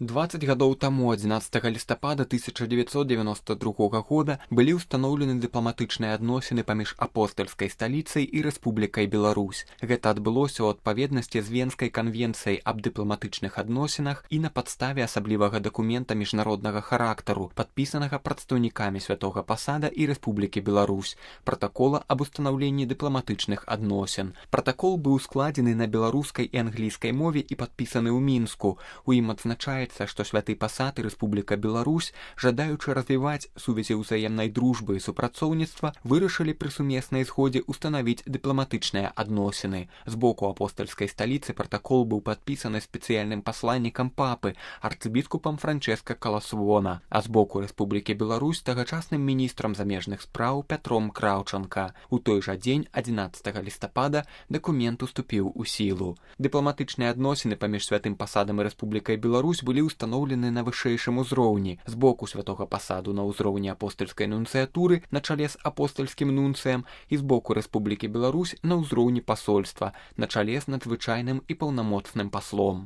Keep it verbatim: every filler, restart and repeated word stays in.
дваццаць гадоў таму, адзінаццатага лістапада тысяча дзевяцьсот дзевяноста другога года, былі ўстаноўлены дыпламатычныя адносіны паміж апостальскай сталіцай і Рэспублікай Беларусь. Гэта адбылося ў адпаведнасці з Венскай канвенцыяй аб дыпламатычных адносінах і на падставе асаблівага дакумента міжнароднага характару, падпісанага прадстаўнікамі Святога Пасада і Рэспублікі Беларусь, пратакола аб устанаўленні дыпламатычных адносін. Пратакол быў складзены на беларускай і англійскай мове і падпісаны ў Мінску. У ім адзначаецца, што Святы Пасад і Рэспубліка Беларусь, жадаючы развіваць сувязі ўзаемнай дружбы і супрацоўніцтва, вырашылі пры сумеснай згодзе устанавіць дыпламатычныя адносіны. З боку апостальскай сталіцы пратакол быў падпісаны спецыяльным пасланнікам папы, арцыбіскупам Франчэска Каласвона, а з боку Рэспублікі Беларусь тагачасным міністрам замежных спраў Пятром Краўчанка. У той жа дзень, адзінаццатага лістапада, дакумент уступіў у сілу. Дыпламатычныя адносіны паміж Святым Пасадам і Рэспублікай Беларусь былі ўстаноўлены на вышэйшым узроўні. З боку Святога Пасаду на ўзроўні апостальскай нунцыятуры на чале з апостальскім нунцыем і з боку Рэспублікі Беларусь на ўзроўні пасольства на чале з надзвычайным і паўнамоцным паслом.